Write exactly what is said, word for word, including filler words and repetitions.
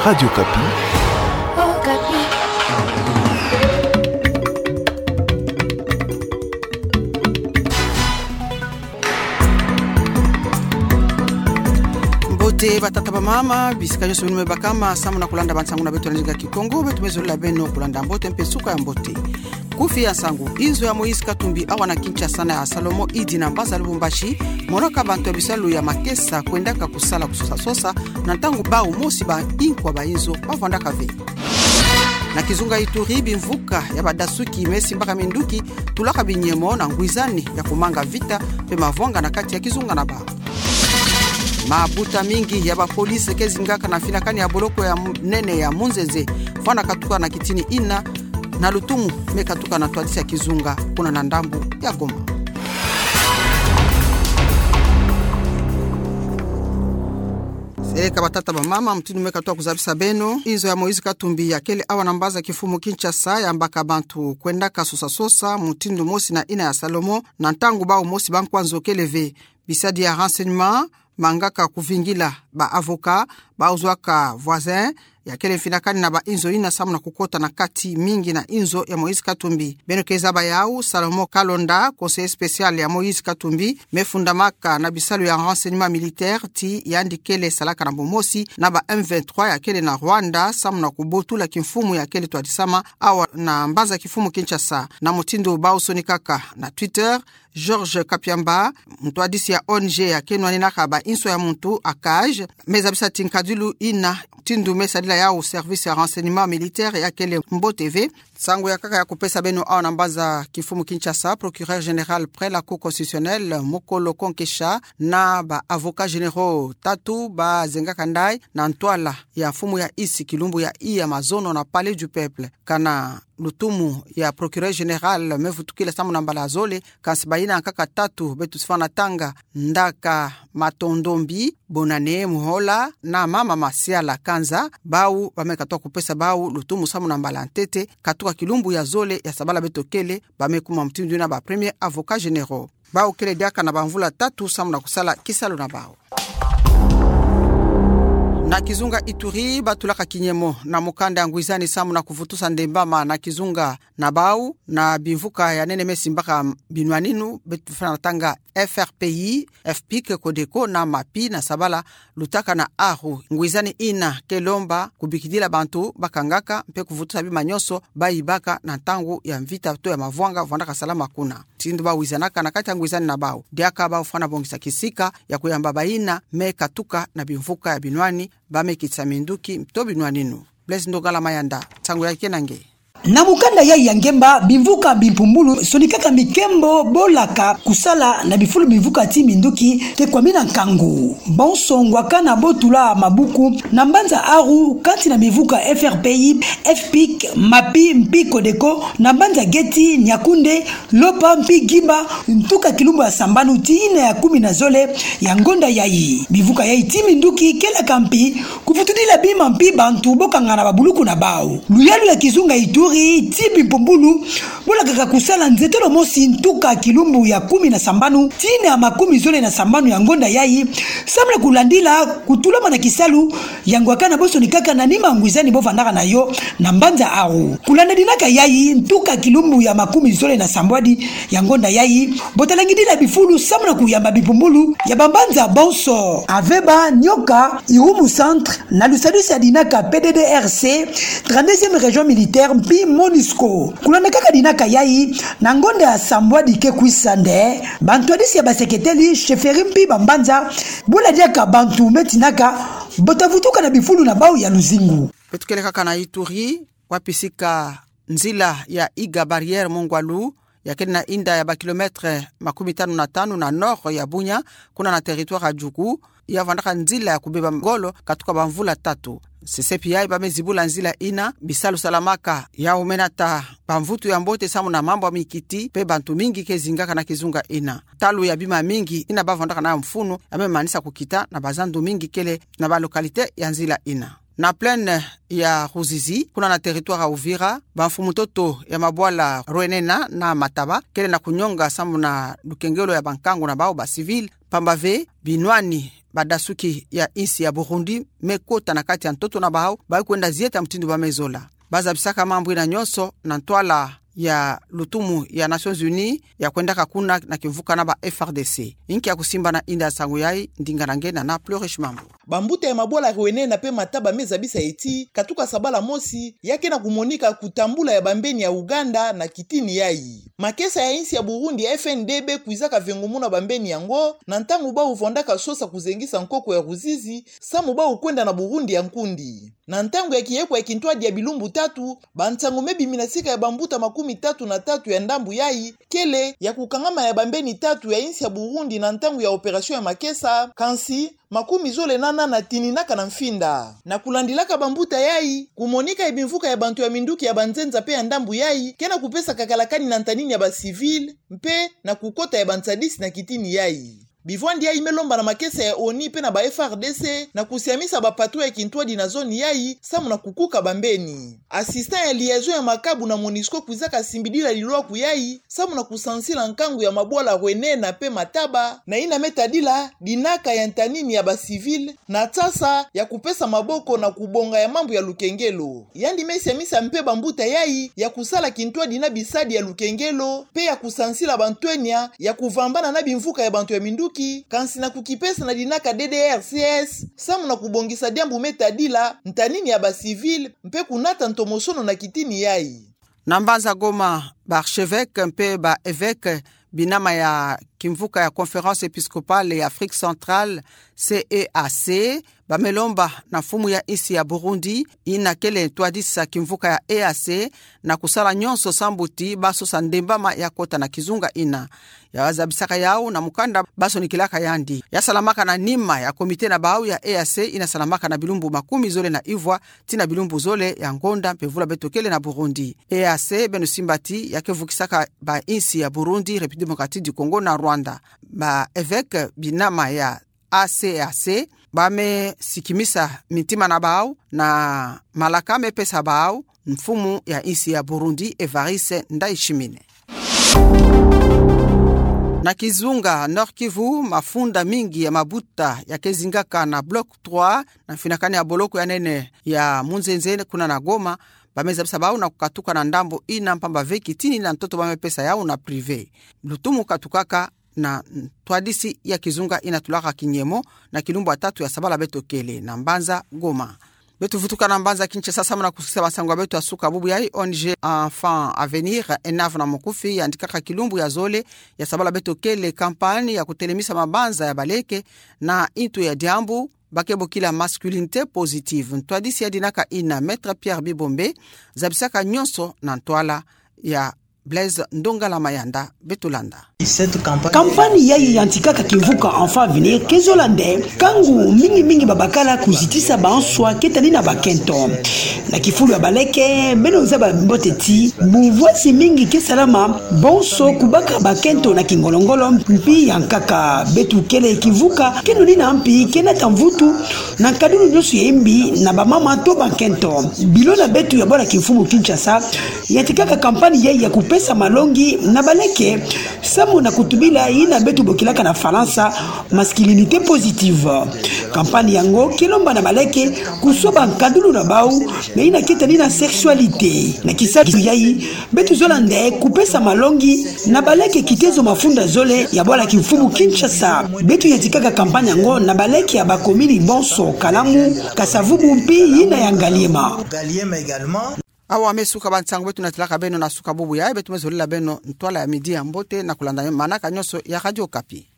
Radio Okapi. Mbote batata, bamama, bisika nyonso beno me bakama samu na kulanda bansangu na beto na ndinga Kikongo. Beto me zolila beno kulanda mbote mpe suka ya mbote. Kufi ya nsangu: inzo ya Moïse Katumbi awa na Kinshasa na ya Salomon Idi na mbanza Lubumbashi, monaka bantu ya bisalu ya makesa kwendaka kusala kusosa-sosa na ntangu bau mosi ba inkwa ba inzo bavwandaka ve. Na kizunga Ituri, bimvuka ya badasuki me simbaka minduki tulaka binyemo na ngwizani ya kumanga vita mpe mavwanga na kati ya kizunga na bau. Mabuta mingi ya bapolisi ke zingaka na mfinakani ya boloko ya m-, nene ya Munzenze, fwana katuka na kitini ina, na lutumu me katuka na ntwadisi ya kizunga kuna na ndambu ya Goma. Seleka batata, bamama, mutindu me katuka kuzabisa beno, inzo ya Moïse Katumbi ya kele awa na mbanza kifumu Kinshasa yambaka bantu kwendaka sosa-sosa mutindu mosi na ina ya Salomon na ntangu bau mosi ba nkwa nzo kele ve. Bisadi ya renseignement mangaka kuvingila ba avocat bau zwaka voisin ya kele mfinakani na ba inzo ina samu na kukota na kati mingi na inzo ya Moïse Katumbi. Beno ke zaba yau, Salomon Kalonda, conseiller spécial ya Moïse Katumbi, me fundamaka na bisalu ya renseignement militaire ti yandi kele salaka na bomosi na ba M vingt-trois ya kele na Rwanda samu na kubotula kimfumu ya kele twadisama awa na mbanza kifumu Kinshasa. Na mutindu bau sonikaka na Twitter, Georges Kapiamba, ntwadisi ya O N G ya ke nwaninaka ba inso ya muntu, ACAJ, me zabisa ti nkadilu ina, mutindu me sadila yau service ya renseignement militaire ya kele mbote ve. Nsangu ya nkaka ya kupesa beno awa na mbanza kifumu Kinshasa: procureur général près la Cour constitutionnelle, Mokolo Konkesha, na ba avocats généraux tatu bazengaka ndai na ntwala ya mfumu ya isi kilumbu ya iya mazono na Palais du Peuple. Kana lutumu ya procureur général me vutukila samu na mbala zole, kansi bayina nkaka tatu beto si fwana tanga: Ndaka Matondombi, Bonane Muhola na Mama Masiala Kanza, bau ba me katuka kupesa bau lutumu samu na mbala ntete, katuka kilumbu ya zole ya sabala beto kele, ba me kuma mutindu ina ba premiers avocats généraux. Bau kele diaka na bamvula tatu samu na kusala kisalu na bau. Na kizunga Ituri, batulaka kinyemo na mukanda ya ngwizani samu na kuvutusa ndembama na kizunga na bau na bimvuka ya nene me simbaka binwaninu, beto fwana tanga F R P I, FPIC, CODECO na MAPI na sabala lutaka na aru. Ngwizani ina ke lomba kubikidila bantu bakangaka mpe kuvutusa bima nyonso bayibaka na ntangu ya mvita to ya mavwanga vwandaka salama kuna. Mutindu bawizanaka na kati ya ngwizani na bau, diaka bau fwana bongisa kisika ya kuyamba bayina me katuka na bimvuka ya binwani, ba me kitisa minduki to binwaninu. Blaise Ndongala Mayanda, nsangu ya ke na nge. Na mukanda yai ya ngemba, bimvuka bimpumbulu sonikaka mikembo bolaka kusala na bifulu bimvuka ti minduki ke kwamina nkangu. Bonso ngwakana botula mabuku na mbanza aru kati na bimvuka F R P I, FPIC, MAPI mpi CODECO na mbanza geti Niakoundé, Lopa mpi Guiba, ntuka kilumbu ya sambanu ti ina ya kumi na zole ya ngonda yai. Bimvuka yai ti minduki kelaka mpi kuvutudila bima mpi bantu bokangana babuluku na bau. Luyalu ya kizunga Ituri ti bimpumbulu bolakaka kusala nzetolo mosi ntuka kilumbu ya kumi na sambanu ti ina ya makumi zole na sambanu ya ngonda yai, samu na kulandila kutulamana kisalu ya ngwakana bosonikaka na nima ngwizani bovandaka na yo na mbanza aru. Kulanda dinaka yai, ntuka kilumbu ya makumi zole na sambwadi ya ngonda yai, botalangidila bifulu samu na kuyamba bimpumbulu ya bambanza bonso: Aveba, Nioka, Irumu Centre, na lusadusi ya dinaka PDDRC, trente-deuxième région militaire mpi MONUSCO. Kulanda kaka dinaka yai, na ngonda ya sambwadi ke kwisa nde, bantwadisi ya baseketeli, chefferie mpi bambanza, bola diaka bantu me tinaka bota vutuka na bifulu na bau ya luzingu. Beto kele kaka na Ituri, wapi sika nzila ya Iga Barrière Mongwalu, ya kele na inda ya ba kilomètre makumi tanu na tanu na nord ya Bunia, kuna na territoire ya Djugu, ya vandaka nzila ya kubeba ngolo katuka bamvula tatu. CCPI ba me zibula nzila ina, bisalu salamaka ya umenata bamvutu ya mbote samu na mambu ya mikiti, mpe bantu mingi ke zingaka na kizunga ina. Ntalu ya bima mingi ina ba vandaka na mfunu ya me manisa kukita na bazandu mingi kele na ba localité ya nzila ina. Na plaine ya Ruzizi, kuna na territoire ya Uvira, bamfumu-ntoto ya mabwala Rwenena na Mataba kele na kunyonga samu na lukengelo ya bankangu na bau ba civil, pamba ve binwani badasuki ya insi ya Burundi me kota na kati ya ntoto na bawu, bayi kwenda zieta mutindu ba me zola. Ba zabisaka mambu yina nyonso na ntwala ya lutumu ya Nations Unies ya kwendaka kuna na kimvuka na ba F R D C. Inki ya kusimba na inda nsangu yayi, ndinga na nge na na Plurish Mambu. Bambuta ya mabwala Rwene na pe Mataba me zabisa ti, katuka sabala mosi, ya ke na kumonika kutambula ya bambeni ya Uganda na kitini yayi. Makesa ya insi ya Burundi ya F N D B kwizaka vengumuna bambeni yango, na ntangu bawu vandaka sosa kuzengisa nkoko ya Ruzizi, samu bawu kwenda na Burundi ya nkundi. Na ntangu ya kiyeko ya kintwadi ya bilumbu tatu, bansangu me bimi na sika ya bambuta makumi tatu na tatu ya ndambu yayi, kele ya kukangama ya bambeni tatu ya insi ya Burundi na ntangu ya opération ya makesa, kansi makumi zole na nana tininaka na mfinda. Na kulandilaka bambuta yayi, kumonika ya bimvuka ya bantu ya minduki ya banzenza pe ya ndambu yayi, ke na kupesa kakalakani na ntanini ya ba civil, mpe na kukota ya bansadisi na kitini yayi. Bivwandi yayi me lomba na makesa ya ONU pe na ba F R D C na kusiamisa ba patrouille ya kintwadi na zone yayi, samu na kukuka bambeni. Assistant ya liaison ya Makabu na MONUSCO kwizaka simbidila lilwaku yayi, samu na kusansila nkangu ya mabwala Rwene na pe Mataba, na yina me tadila dinaka ya ntanini ya ba civil, na tsasa ya kupesa maboko na kubonga ya mambu ya lukengelo. Yandi me siamisa mpe bambuta yayi ya kusala kintwadi na bisadi ya lukengelo, pe ya kusansila bantwenia ya kuvambana na bimvuka ya bantu ya minduki, kansi na kukipesa na dinaka D D R C S, samu na kubongisa diambu me tadila ntanini ya ba civil, mpe kunata ntomosono na kitini yayi. Na mbanza Goma, ba archevêque mpe ba évêque binama ya kimvuka ya Conférence Épiscopale ya Afrique Centrale, C E A C, ba me lomba na mfumu ya insi ya Burundi, yina kele ntwadisi ya kimvuka ya E A C, na kusala nyonso sambu ti ba sosa ndembama ya kota na kizunga yina. Ya zabisaka yawu na mukanda ba sonikilaka yandi. Ya salamaka na nima ya comité na bawu ya E A C yina salamaka na bilumbu makumi zole na ivwa, tii na bilumbu zole ya ngonda mpe vula beto kele na Burundi. E A C beno simba ti ya ke vukisaka ba insi ya Burundi, République Démocratique du Congo na Rwanda. Ba évêque binama ya A C A C, ba me sikimisa mintima na bawu na malaka me pesa bawu mfumu ya insi ya Burundi, Évariste Ndayishimiye. Na kizunga Nord-Kivu, mafunda mingi ya mabuta ya ke zingaka na bloc trois, na mfinakani ya boloko ya nene ya Munzenze kuna na Goma, ba me zabisa bawu na kukatuka na ndambu yina mpamba ve kitini na ntoto ba me pesa yawu na privé. Lutumu katukaka na ntwadisi ya kizunga yina tulaka kinyemo na kilumbu ya tatu ya sabala beto kele na mbanza Goma. Beto vutuka na mbanza Kinshasa samu na kusukisa bansangu ya beto ya suka bubu yayi. O N G Enfants à Venir, Enav na mukufi, yantikaka kilumbu ya zole ya sabala beto kele campagne ya kutelemisa mabanza ya baleke na ntu ya diambu ba ke bokila masculinité positive. Ntwadisi ya dinaka yina, Maître Pierre Bibombe, zabisaka nyonso na ntwala ya Blaise Ndongala Mayanda. Beto landa. Campagne yayi yantikaka kimvuka Enfants à Venir ke zola nde nkangu mingi mingi ba bakala kuzitisa banswa ke tani na bakento. Na kifulu ya baleke, beno zaba mbote ti buvwasi mingi ke salama, bonso kubaka bakento na kingolo-ngolo mpi ya nkaka. Beto kele kimvuka ke nuni na mpi ke nata mvutu na nkadulu nyonso ya yimbi na bamama to bakento. Bilo na beto ya bwala kimfumu Kinshasa yantikaka campagne yayi ya kupesa malongi na baleke samu na kutubila yina beto bokilaka na Falansa masculinité positive. Campagne yango ke lomba na baleke kusoba nkadulu na bawu na yina ke tani na sexualité. Na kisakisu yayi, beto zola nde kupesa malongi na baleke kitezo mafunda zole ya bwala kimfumu Kinshasa. Beto yantikaka campagne yango na baleke ya bakomini bonso, Kalamu, Kasa-Vubu mpi yina ya Ngaliema. Awa me suka bansangu beto natelaka beno na suka bubu yayi. Beto me zolila beno ntwala ya midi ya mbote na kulanda manaka nyonso ya Radio Okapi.